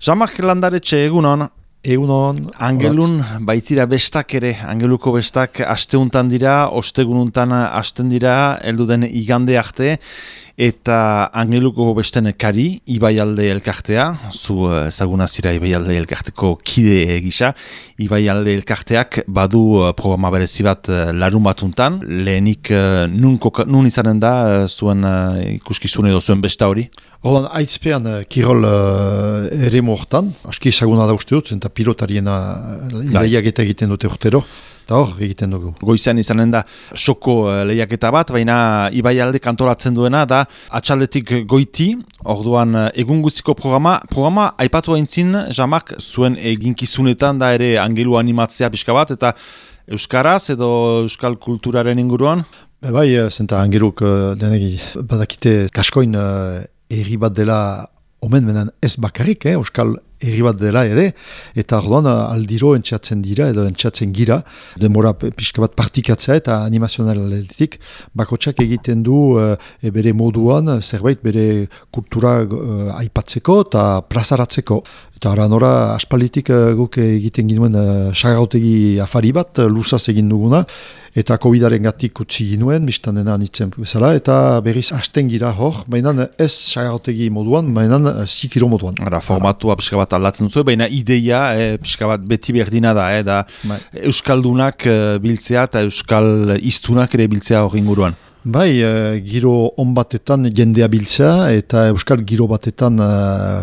Jean-Marc Landaretxe, egunon. Egunon. Angelun baitira bestak ere, Angeluko bestak asteuntan dira, ostegununtan hasten dira, heldu den igande arte, eta Angeluko besten kari, Ibaialde elkartea, zu ezaguna zira Ibaialde elkarteko kide gisa, Ibaialde elkarteak badu programa berezi bat larun batuntan, lehenik nun izanen da zuen ikuskizun edo zuen besta hori? Hortan, aitzpean kirol eremu hortan, aski ezaguna da uste dut, eta pilotariena lehiaketa egiten dute urtero, eta hor egiten dugu. Goizean izanen da soko lehiaketa bat, baina Ibaialde kantolatzen duena da atxaldetik goiti, orduan egun guztiko programa aipatu aintzin, Jean-Marc, zuen eginkizunetan da ere Angelu animatzea pixka bat, eta euskaraz edo euskal kulturaren inguruan? Bai, zenta Angeluk denegi badakite kaskoin erri bat dela omen menen ez bakarrik, euskal erri bat dela ere, eta orduan aldiro entxatzen dira edo entxatzen gira, demora pixka bat partikatzea eta animazionaletik bakotsak egiten du bere moduan zerbait bere kultura aipatzeko eta plazaratzeko. Eta nora aspalitik guk egiten ginuen sagautegi afari bat, luzaz egin duguna, eta COVID-aren gatik utzi ginuen, biztan dena nitzen bezala, eta berriz hasten gira hor, baina ez sagautegi moduan, baina zikiro moduan. Formatua pixka bat aldatzen duzu, baina ideia pixka bat beti berdina da, da euskaldunak biltzea eta euskal iztunak ere biltzea hori inguruan. Bai, giro on batetan jendea biltzea eta euskal giro batetan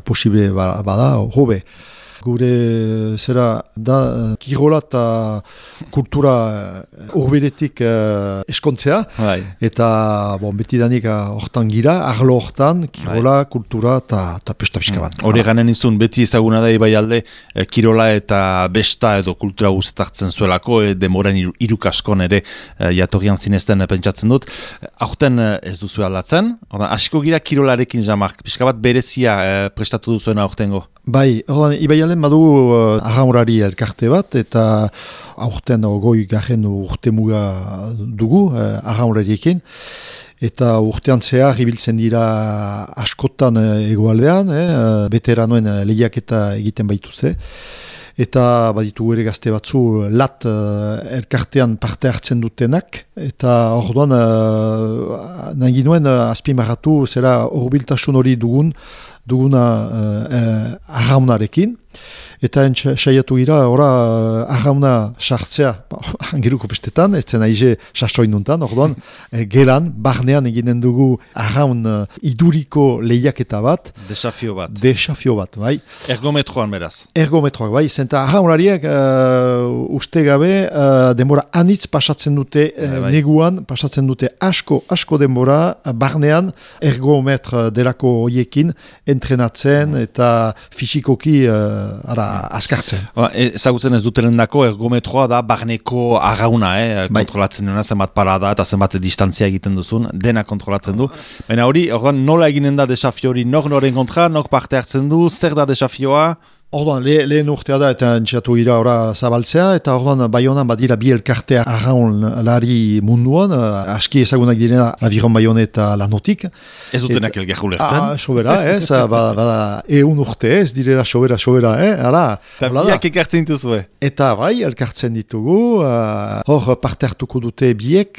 posible bada, hobe. Gure zera da kirola eta kultura urbiretik eskontzea, eta betidanik hortan gira, arlo hortan, kirola, kultura eta pesta pixka bat. Hori ganen izun, beti ezaguna da Ibaialde kirola eta besta edo kultura guztartzen zuelako, demoren irukaskon ere jatorrian zinezten pentsatzen dut. Aurten ez duzu aldatzen, hasiko gira kirolarekin, Jean-Marc, pixka bat berezia prestatu duzuen aurtengo. Bai, Ibaialen badu ahaurari elkarte bat, eta aurten goi garen urtemuga dugu ahaurariekin, eta urtean zehar ibiltzen dira askotan egoaldean, veteranoen lehiaketa egiten baituzte, eta baditu ere gazte batzu lat elkartean parte hartzen dutenak, eta orduan nahi ginuen azpimarratu zera horbiltasun hori duguna arraunarekin, eta saiatu gira, arrauna sartzea Angeluko bestetan, ez zen aize sasoinuntan, orduan, gelan, barnean eginen dugu arraun iduriko lehiaketa bat. Desafio bat, bai. Ergometroan beraz. Ergometroak, bai, zenta arraunariak uste gabe denbora anitz pasatzen dute neguan, pasatzen dute asko denbora, barnean ergometr delako hoiekin entrenatzen eta fisikoki askartzen. Ezagutzen ez dutenen dako, ergometroa da barneko arrauna, kontrolatzen dena, zenbat parada eta zenbat distantzia egiten duzun, dena kontrolatzen du. Baina hori, nola eginen da desafio hori, noren kontra, nok parte hartzen du, zer da desafioa? Orduan, lehen urtea da eta entxatu gira zabaltzea, eta orduan Baionan badira bi elkartea arraun lari munduan, aski ezagunak direna Aviron Baione eta Lanotik. Ez dutenak elgar ulertzen? Sobera, ez, bada urte ez, direla sobera, ara. Eta biak ekartzen dituzue? Eta bai, elkartzen ditugu, hor parte hartuko dute biek,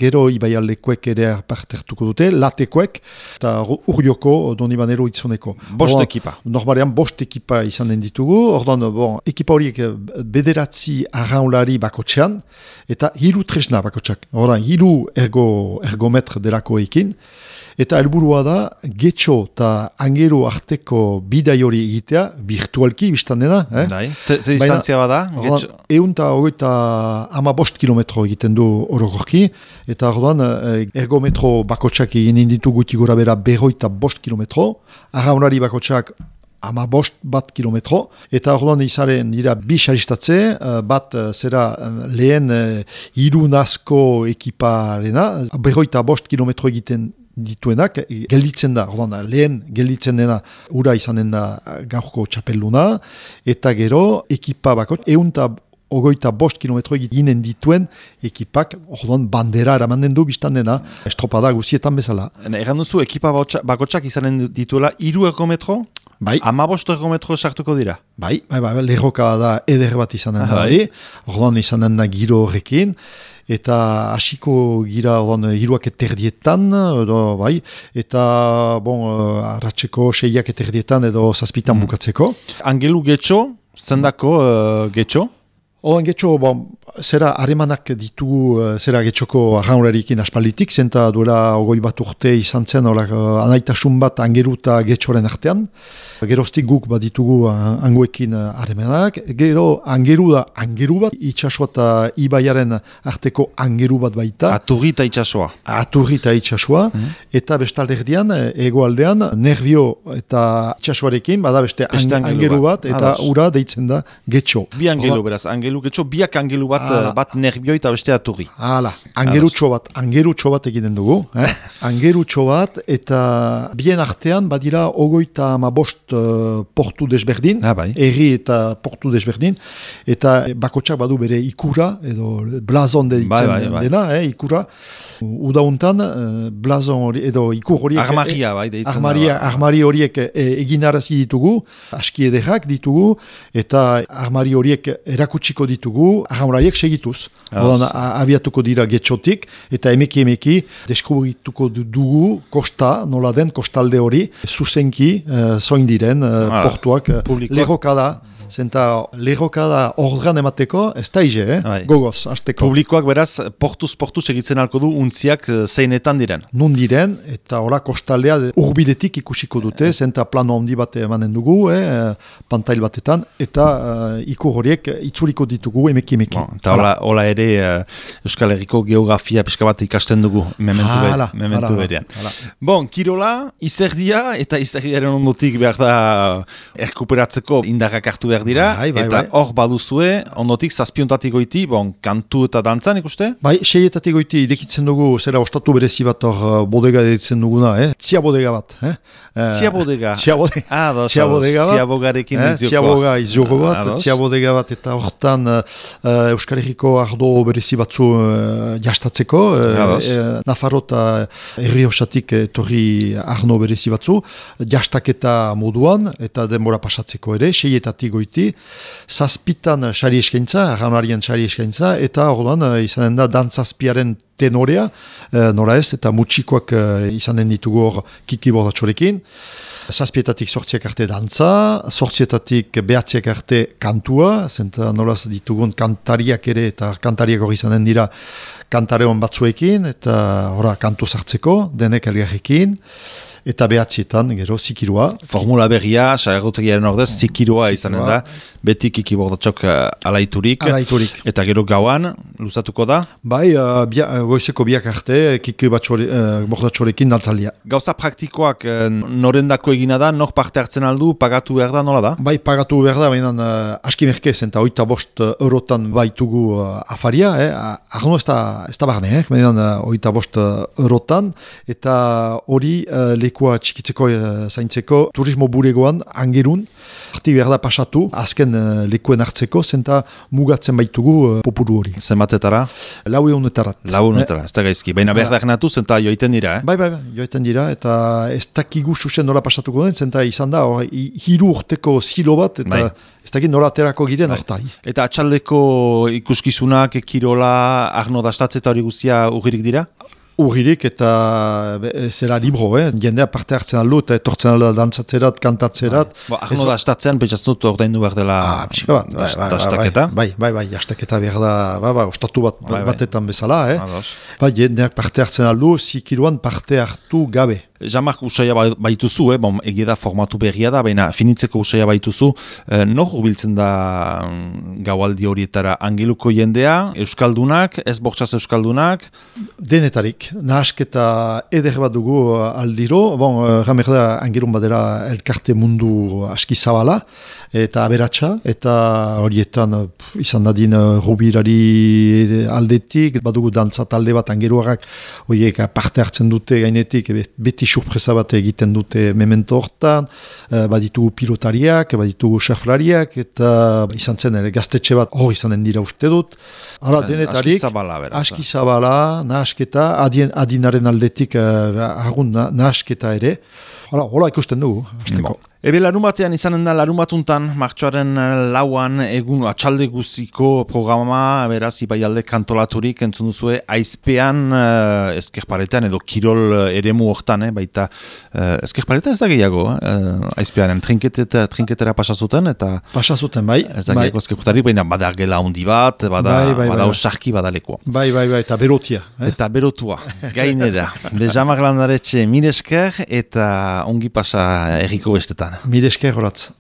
gero Ibaialdekoek ere parte hartuko dute, latekoek, eta urrioko Donibanero itzoneko. Bost ekipa? Normalean, bost ekipa izan ditugu, orduan, ekipa horiek bederatzi arraunlari bakotxean, eta hiru tresna bakotxak. Orduan, hiru ergometr delako ekin, eta helburua da, getxo eta Angelu arteko bidai hori egitea, virtualki, biztan dena. Ze distantzia bada? Egun eta hogeita 15 kilometro egiten du orokorki, eta orduan, ergometro bakotxak egin ditu guti gora bera 25 kilometro, arraunlari bakotxak 15 kilometro, eta orduan izaren dira bi saristatze, bat zera lehen irunazko ekiparena, 25 kilometro egiten dituenak, gelditzen da, orduan, lehen gelditzen dena ura izanen da gaurko txapelduna, eta gero ekipa bakot, ogoita 5 kilometro eginen dituen ekipak, orduan bandera eramanen du biztan dena, estropada guzietan bezala. Egan duzu, ekipa bakotsak izanen dituela 3 ergometro? Bai. 15 ergometro sartuko dira? Bai, lerroka da eder bat izanen da hori, orduan izanen da giro horrekin, eta hasiko gira orduan hiruak eterdietan, edo bai, eta arratseko 6ak eterdietan edo 7 bukatzeko. Angelu getxo, zendako getxo? Oan getxo, zera haremanak ditugu zera getxoko arraunarikin aspalditik, zenta duela 20 urte izan zen anaitasun bat angeru eta getxoren artean. Geroztik guk bat ditugu angoekin haremanak. Gero angeru da angeru bat, itxasua eta ibaiaren arteko angeru bat baita. Aturri eta itxasua. Aturri eta itxasua. Eta bestalderdian, egoaldean, nervio eta itxasuarekin, bada beste angeru bat, eta ura deitzen da getxo. Bi angelu beraz, angelu getxo, biak angelu bat nervio eta beste aturri. Hala, angerutxo bat egiten dugu. Angerutxo bat, eta bien artean badira 35 portu desberdin, erri eta portu desberdin, eta bakotxak badu bere ikura, edo blazon deitzen dena, ikura. Udauntan, blazon hori, edo ikur horiek... Armaria, deitzen da. Armari horiek eginarazi ditugu, aski ederrak ditugu, eta armari horiek erakutsiko ditugu, armariek segituz. Abiatuko dira getxotik, eta emeki deskubrituko dugu kosta, nola den kostalde hori, zuzenki zoin diren portuak, lerrokada. Zenta lerrokada ordran emateko, ez da ize, gogoz, hasteko. Publikoak beraz, portuz egitzen alko du untziak zeinetan diren. Nun diren, eta ora kostaldea urbiletik ikusiko dute, zenta plano handi bat emanen dugu, pantail batetan, eta ikur horiek itzuriko ditugu emeki. Eta hola ere Euskal Herriko geografia pixka bat ikasten dugu, mementu berean. Bon, kirola, izerdia, eta izerdiaren ondotik behar da erkuperatzeko indarrak hartu behar dira, eta hor baduzue, ondotik zazpiontatik goiti, kantu eta dantzan ikuste? Bai, 6etatik goiti idekitzen dugu, zera ostatu berezi bat hor bodega editzen duguna, Tzia bodega bat. Tzia bodega? Tzia bodega bat. Ziabogarekin izioko. Ziaboga izoko bat, tzia bodega bat, eta hortan Euskal Herriko ardo berezi batzu jastatzeko, Nafarro eta Errioxatik torri arno berezi batzu, jastaketa moduan, eta denbora pasatzeko ere, 6etatik goiti, zazpitan sari eskaintza, arraunarien sari eskaintza, eta orduan izanen da dantzazpiaren tenorea, nora ez, eta mutxikoak izanen ditugu hor kiki bordatxorekin. Zazpietatik 8 arte dantza, 8etatik 9 arte kantua, zenta nolaz ditugun kantariak ere, eta kantariak hori izanen dira kantareon batzuekin, eta kantu sartzeko, denek elgarrekin. Eta 9etan, gero, zikirua. Formula berria, sagarrotegiaren ordez, zikirua izanen da, beti kiki bordatxok alaiturik. Eta gero gauan, luzatuko da? Bai, goizeko biak arte, kiki bordatxorekin dantzaldia. Gauza praktikoak norendako egina da, nor parte hartzen aldu, pagatu behar da, nola da? Bai, pagatu behar da, baina aski merkez, eta 25 eurotan baitugu afaria, arno ez da barne, baina 25 eurotan, eta hori lekua txikitzeko zaintzeko turismo bulegoan angerun, arti behar da pasatu, azken lekuen hartzeko, zenta mugatzen baitugu popuru hori. Zenbatetara? 400-etarat. 400-etara, ez da gaizki. Baina behar da genatu, zenta joiten dira, Bai, joiten dira, eta ez dakigu susen nola pasatuko den, zenta izan da, 3 urteko zilo bat, eta ez dakit nola aterako giren hortai. Eta atxaldeko ikuskizunak, kirola, arno dastatze eta hori guzia urgirik dira? Urgirik eta zera libro, jendea parte hartzen aldu eta etortzen alda dantzatzerat, kantatzerat. Arno da astatzean, pentsatzen dut ordaindu behar dela dastaketa? Bai, dastaketa behar da, ostatu batetan bezala. Jendeak parte hartzen aldu, zikiruan parte hartu gabe. Jamak usaia baituzu, egida formatu berria da, baina finitzeko usaia baituzu, nor hurbiltzen da gaualdi horietara angeluko jendea, euskaldunak, ez bortxaz euskaldunak? Denetarik, nahasketa eder bat dugu aldiro, ramer da angelun badera elkarte mundu aski zabala, eta aberatsa, eta horietan izan dadin rubirari aldetik, badugu dantza talde bat angeluarrak, horiek parte hartzen dute gainetik, beti surpresa bat egiten dute memento hortan, baditugu pilotariak, baditugu xaflariak, eta izan zen ere gaztetxe bat hor izanen dira uste dut. Denetarik, aski zabala, nahasketa, adinaren aldetik nahasketa ere. Hola ikusten dugu, hasteko. Ebe larumatean izanen da larumatuntan, martxoaren lauan egun atxalde guziko programa, beraz, Ibaialde kantolaturik entzun duzue, aizpean, ezkerparetan edo kirol eremu hortan, baita, ezkerparetan ez da gehiago, aizpean, trinketera pasazuten, eta... Pasazuten, bai. Ez da gehiago ezkerputarik, baina bada gela handi bat, bada osarki badalekoa. Bai, eta berotia. Eta berotua, gainera. Bezamak landaretxe, mire esker, eta ongi pasa erriko bestetan. Mire esker horatz.